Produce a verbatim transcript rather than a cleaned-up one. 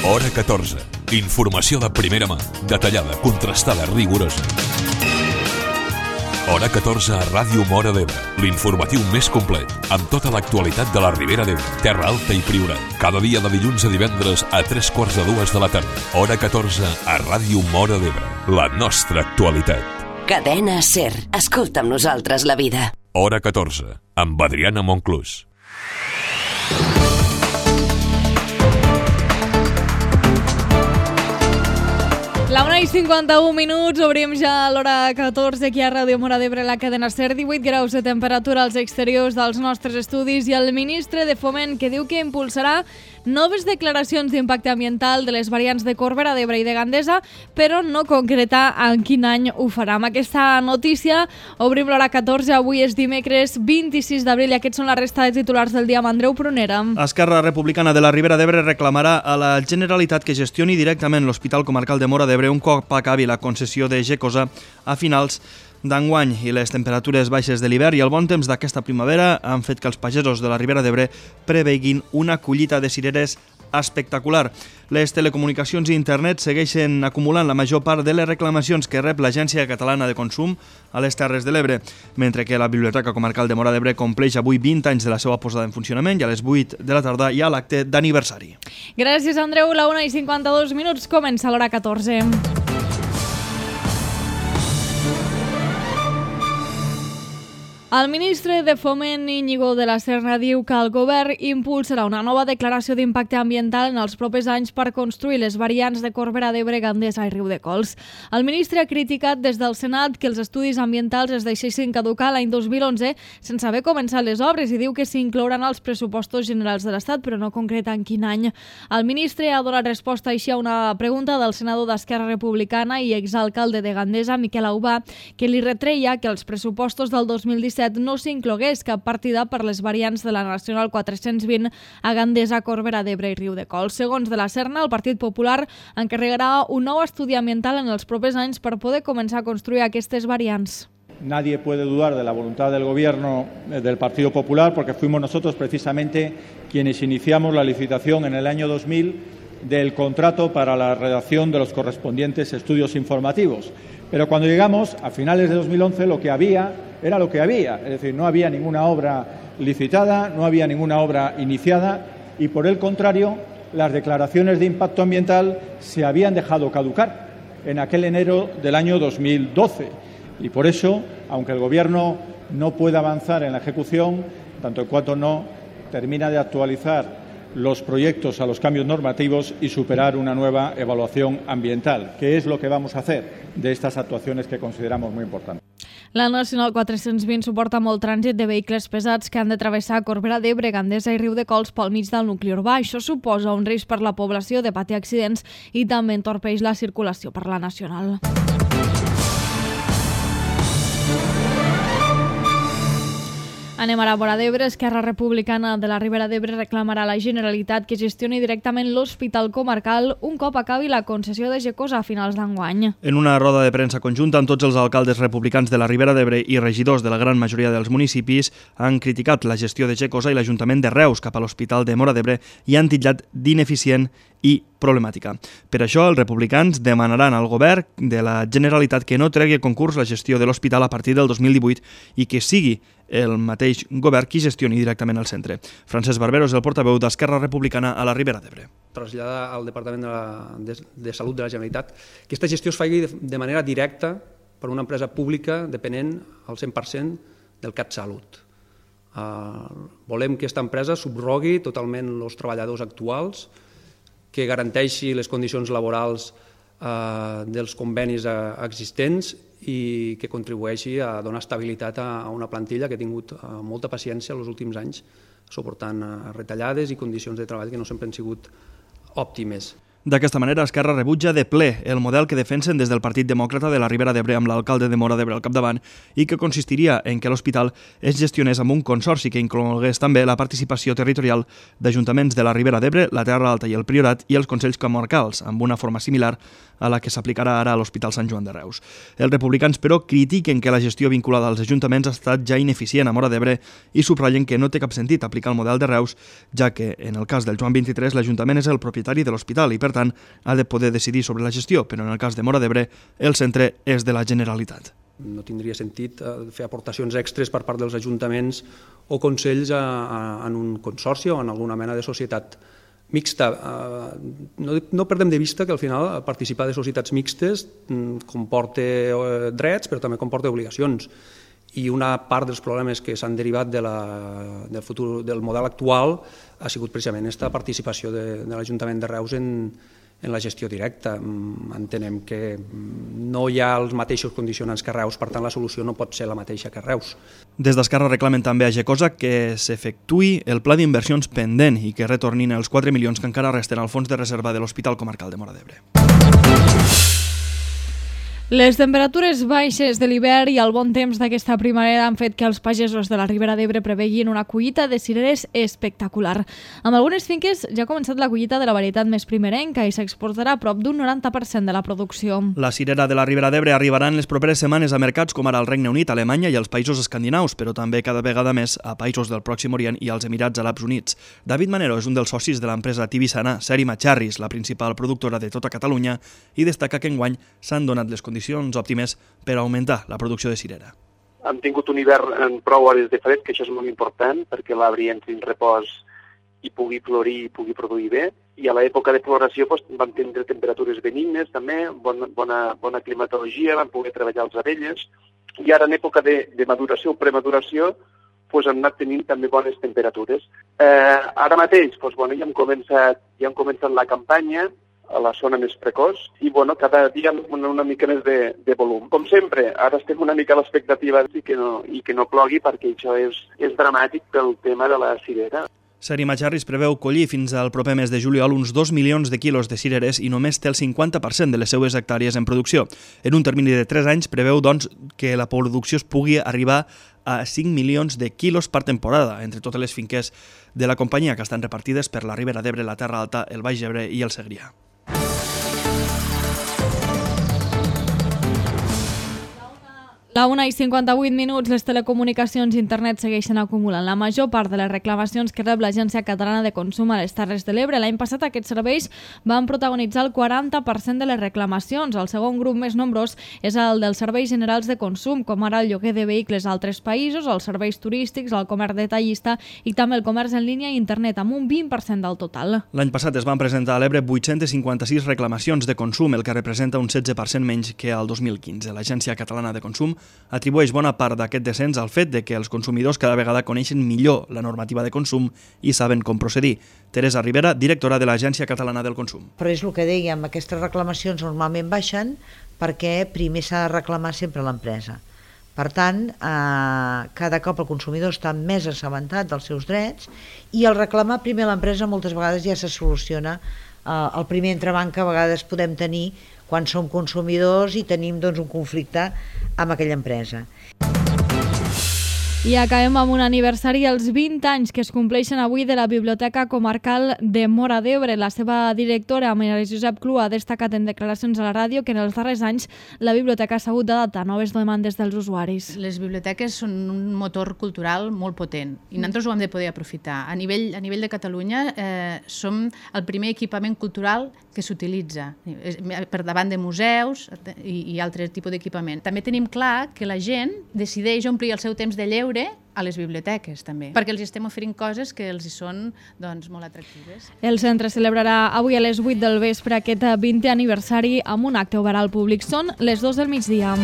Hora catorze. Informació de primera mà, detallada, contrastada, rigorosa. Hora catorze a Ràdio Móra d'Ebre, l'informatiu més complet, amb tota l'actualitat de la Ribera d'Ebre, Terra Alta i Priorat. Cada dia de dilluns a divendres a tres quarts de dues de la tarda. Hora catorze a Ràdio Móra d'Ebre, la nostra actualitat. Cadena SER. Escolta amb nosaltres la vida. Hora catorze, amb Adriana Monclús. La una i cinquanta-un minuts, obrim ja a l'hora catorze aquí a Ràdio Móra d'Ebre, la cadena SER, divuit graus de temperatura als exteriors dels nostres estudis i el ministre de Foment que diu que impulsarà noves declaracions d'impacte ambiental de les variants de Corbera d'Ebre i de Gandesa, però no concreta en quin any ho farà. Amb aquesta notícia obrim l'hora catorze, avui és dimecres vint-i-sis d'abril i aquests són la resta de titulars del dia amb Andreu Prunera. Esquerra Republicana de la Ribera d'Ebre reclamarà a la Generalitat que gestioni directament l'Hospital Comarcal de Móra d'Ebre un cop acabi la concessió de Gecosa a finals d'enguany, i les temperatures baixes de l'hivern i el bon temps d'aquesta primavera han fet que els pagesos de la Ribera d'Ebre preveguin una collita de cireres espectacular. Les telecomunicacions i internet segueixen acumulant la major part de les reclamacions que rep l'Agència Catalana de Consum a les Terres de l'Ebre, mentre que la Biblioteca Comarcal de Móra d'Ebre compleix avui vint anys de la seva posada en funcionament i a les vuit de la tarda hi ha l'acte d'aniversari. Gràcies, Andreu. La una i cinquanta-dos minuts, comença l'hora catorze. El ministre de Foment, Íñigo de la Serna, diu que el govern impulsarà una nova declaració d'impacte ambiental en els propers anys per construir les variants de Corbera d'Ebre, Gandesa i Riudecols. El ministre ha criticat des del Senat que els estudis ambientals es deixessin caducar l'any dos mil onze sense haver començat les obres i diu que s'inclouran als pressupostos generals de l'Estat, però no concreta en quin any. El ministre ha donat resposta així a una pregunta del senador d'Esquerra Republicana i exalcalde de Gandesa, Miquel Aubà, que li retreia que els pressupostos del dos mil disset no s'inclogués cap partida per les variants de la Nacional quatre-cents vint a Gandesa, Corbera d'Ebre i Riudecols. Segons de la Serna, el Partit Popular encarregarà un nou estudi ambiental en els propers anys per poder començar a construir aquestes variants. Nadie puede dudar de la voluntad del Gobierno del Partido Popular porque fuimos nosotros precisamente quienes iniciamos la licitación en el año dos mil del contrato para la redacción de los correspondientes estudios informativos. Pero cuando llegamos, a finales de dos mil once, lo que había era lo que había. Es decir, no había ninguna obra licitada, no había ninguna obra iniciada y, por el contrario, las declaraciones de impacto ambiental se habían dejado caducar en aquel enero del año dos mil doce. Y por eso, aunque el Gobierno no pueda avanzar en la ejecución, tanto en cuanto no termina de actualizar los proyectos a los cambios normativos y superar una nueva evaluación ambiental, que es lo que vamos a hacer de estas actuaciones que consideramos muy importantes. La Nacional quatre-cents vint suporta molt trànsit de vehicles pesats que han de travessar Corbera d'Ebre, Gandesa i Riudecols pel mig del nucli urbà. Això suposa un risc per la població de patir accidents i també entorpeix la circulació per la Nacional. Anem ara a Móra d'Ebre. Esquerra Republicana de la Ribera d'Ebre reclamarà a la Generalitat que gestioni directament l'Hospital Comarcal un cop acabi la concessió de Gecosa a finals d'enguany. En una roda de premsa conjunta amb tots els alcaldes republicans de la Ribera d'Ebre i regidors de la gran majoria dels municipis han criticat la gestió de Gecosa i l'Ajuntament de Reus cap a l'Hospital de Móra d'Ebre i han titllat d'ineficient i problemàtica. Per això, els republicans demanaran al govern de la Generalitat que no tregui a concurs la gestió de l'hospital a partir del dos mil divuit i que sigui el mateix govern qui gestioni directament el centre. Francesc Barbero és el portaveu d'Esquerra Republicana a la Ribera d'Ebre. Traslladar al Departament de, la, de, de Salut de la Generalitat que aquesta gestió es faci de, de manera directa per una empresa pública dependent al cent per cent del CatSalut. Uh, volem que aquesta empresa subrogui totalment els treballadors actuals, que garanteixi les condicions laborals eh, dels convenis eh, existents i que contribueixi a donar estabilitat a, a una plantilla que ha tingut eh, molta paciència els últims anys suportant eh, retallades i condicions de treball que no sempre han sigut òptimes. D'aquesta manera, Esquerra rebutja de ple el model que defensen des del Partit Demòcrata de la Ribera d'Ebre amb l'alcalde de Móra d'Ebre al capdavant i que consistiria en que l'hospital es gestionés amb un consorci que inclogués també la participació territorial d'ajuntaments de la Ribera d'Ebre, la Terra Alta i el Priorat i els Consells Comarcals, amb una forma similar a la que s'aplicarà ara a l'Hospital Sant Joan de Reus. Els republicans, però, critiquen que la gestió vinculada als ajuntaments ha estat ja ineficient a Móra d'Ebre i subratllen que no té cap sentit aplicar el model de Reus, ja que, en el cas del Joan vint-i-tres, l'Ajuntament és el propietari de l'hospital i, per per tant ha de poder decidir sobre la gestió, però en el cas de Móra d'Ebre el centre és de la Generalitat. No tindria sentit fer aportacions extres per part dels ajuntaments o consells a, a, en un consorci o en alguna mena de societat mixta. No, no perdem de vista que al final participar de societats mixtes comporta drets però també comporta obligacions. I una part dels problemes que s'han derivat de la, del, futur, del model actual ha sigut precisament aquesta participació de, de l'Ajuntament de Reus en, en la gestió directa. Entenem que no hi ha els mateixos condicionants que Reus, per tant la solució no pot ser la mateixa que Reus. Des d'Esquerra reclamen també a Gecosa que s'efectuï el pla d'inversions pendent i que retornin els quatre milions que encara resten al fons de reserva de l'Hospital Comarcal de Móra d'Ebre. Les temperatures baixes de l'hivern i el bon temps d'aquesta primavera han fet que els pagesos de la Ribera d'Ebre preveguin una collita de cireres espectacular. Amb algunes finques ja ha començat la collita de la varietat més primerenca i s'exportarà a prop d'un noranta per cent de la producció. La cirera de la Ribera d'Ebre arribarà en les properes setmanes a mercats com ara el Regne Unit, Alemanya i els països escandinaus, però també cada vegada més a països del Pròxim Orient i als Emirats Arabs Units. David Manero és un dels socis de l'empresa Tibisana, Seri Macharris, la principal productora de tota Catalunya, i destaca que enguany s'han donat les condicions òptimes per augmentar la producció de cirera. Hem tingut un hivern en prou hores de fred, que això és molt important, perquè l'arbre entri en repòs i pugui florir i pugui produir bé. I a l'època de floració doncs, vam tindre temperatures benignes també, bona, bona, bona climatologia, vam poder treballar les abelles. I ara en època de, de maduració o premaduració doncs, hem anat tenint també bones temperatures. Eh, ara mateix doncs, bueno, ja, hem començat, ja hem començat la campanya a la zona més precoç i bueno, cada dia una, una mica més de, de volum. Com sempre, ara estem una mica a l'expectativa i, que no, i que no plogui perquè això és, és dramàtic pel tema de la cirera. Seri Macharris preveu collir fins al proper mes de juliol uns dos milions de quilos de cireres i només té el cinquanta per cent de les seues hectàrees en producció. En un termini de tres anys preveu doncs, que la producció es pugui arribar a cinc milions de quilos per temporada entre totes les finques de la companyia que estan repartides per la Ribera d'Ebre, la Terra Alta, el Baix Ebre i el Segrià. La una i cinquanta-vuit minuts, les telecomunicacions i internet segueixen acumulant la major part de les reclamacions que rep l'Agència Catalana de Consum a les Terres de l'Ebre. L'any passat aquests serveis van protagonitzar el quaranta per cent de les reclamacions. El segon grup més nombrós és el dels serveis generals de consum, com ara el lloguer de vehicles a altres països, els serveis turístics, el comerç detallista i també el comerç en línia i internet, amb un vint per cent del total. L'any passat es van presentar a l'Ebre vuit-cents cinquanta-sis reclamacions de consum, el que representa un setze per cent menys que el dos mil quinze. L'Agència Catalana de Consum atribueix bona part d'aquest descens al fet de que els consumidors cada vegada coneixen millor la normativa de consum i saben com procedir. Teresa Rivera, directora de l'Agència Catalana del Consum. Però és el que dèiem, aquestes reclamacions normalment baixen perquè primer s'ha de reclamar sempre l'empresa. Per tant, eh, cada cop el consumidor està més assabentat dels seus drets i el reclamar primer l'empresa moltes vegades ja se soluciona. Eh, el primer entrebanc que a vegades podem tenir quan som consumidors i tenim doncs, un conflicte amb aquella empresa. I acabem amb un aniversari, els vint anys que es compleixen avui de la Biblioteca Comarcal de Móra d'Ebre. La seva directora, Maria Josep Clú, ha destacat en declaracions a la ràdio que en els darrers anys la biblioteca s'ha hagut d'adaptar a noves demandes dels usuaris. Les biblioteques són un motor cultural molt potent i nosaltres ho hem de poder aprofitar. A nivell, a nivell de Catalunya eh, som el primer equipament cultural que s'utilitza per davant de museus i, i altres tipus d'equipament. També tenim clar que la gent decideix omplir el seu temps de lleure a les biblioteques també, perquè els estem oferint coses que els hi són doncs, molt atractives. El centre celebrarà avui a les vuit del vespre aquest vintè aniversari amb un acte obert al públic. Són les dues del migdia.